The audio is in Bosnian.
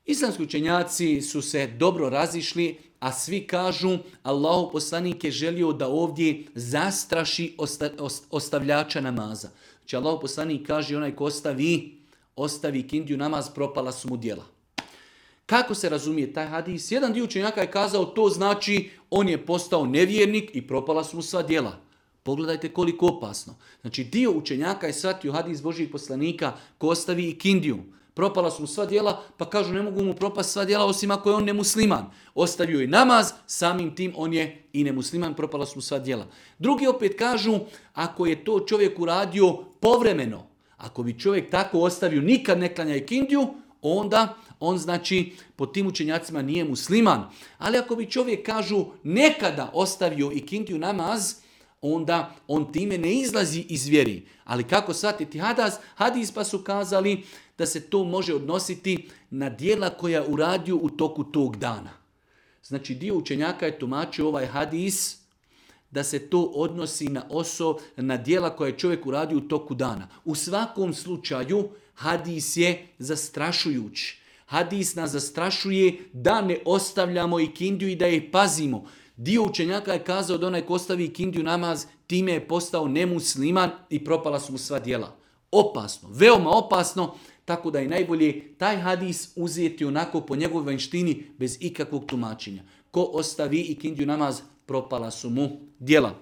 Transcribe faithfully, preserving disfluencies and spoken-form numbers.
Islamski učenjaci su se dobro razišli, a svi kažu Allahov poslanik je želio da ovdje zastraši osta, ostavljača namaza. Znači Allahov poslanik kaže onaj ko ostavi, ostavi kindiju namaz, propala su mu djela. Kako se razumije taj hadis? Jedan dio učenjaka je kazao to znači on je postao nevjernik i propala su mu sva djela. Pogledajte koliko opasno. Znači dio učenjaka je shvatio hadis Božijeg poslanika ko ostavi i kindiju. Propala su mu sva djela, pa kažu ne mogu mu propast sva djela osim ako je on nemusliman. Ostavio je namaz, samim tim on je i nemusliman, propala su mu sva djela. Drugi opet kažu, ako je to čovjek uradio povremeno, ako bi čovjek tako ostavio, nikad ne klanja ikindiju, onda on znači po tim učenjacima nije musliman. Ali ako bi čovjek kažu nekada ostavio ikindiju namaz, onda on time ne izlazi iz vjeri. Ali kako shvatiti hadis? Hadis pa su kazali da se to može odnositi na djela koja uradio u toku tog dana. Znači dio učenjaka je tumačio ovaj hadis da se to odnosi na oso, na djela koje je čovjek uradio u toku dana. U svakom slučaju hadis je zastrašujući. Hadis nas zastrašuje da ne ostavljamo ikindiju i da je pazimo. Dio učenjaka je kazao da onaj ko ostavi ikindiju namaz, time je postao nemusliman i propala su mu sva djela. Opasno, veoma opasno, tako da je najbolje taj hadis uzeti onako po njegovoj vanjštini bez ikakvog tumačenja. Ko ostavi ikindiju namaz, propala su mu djela.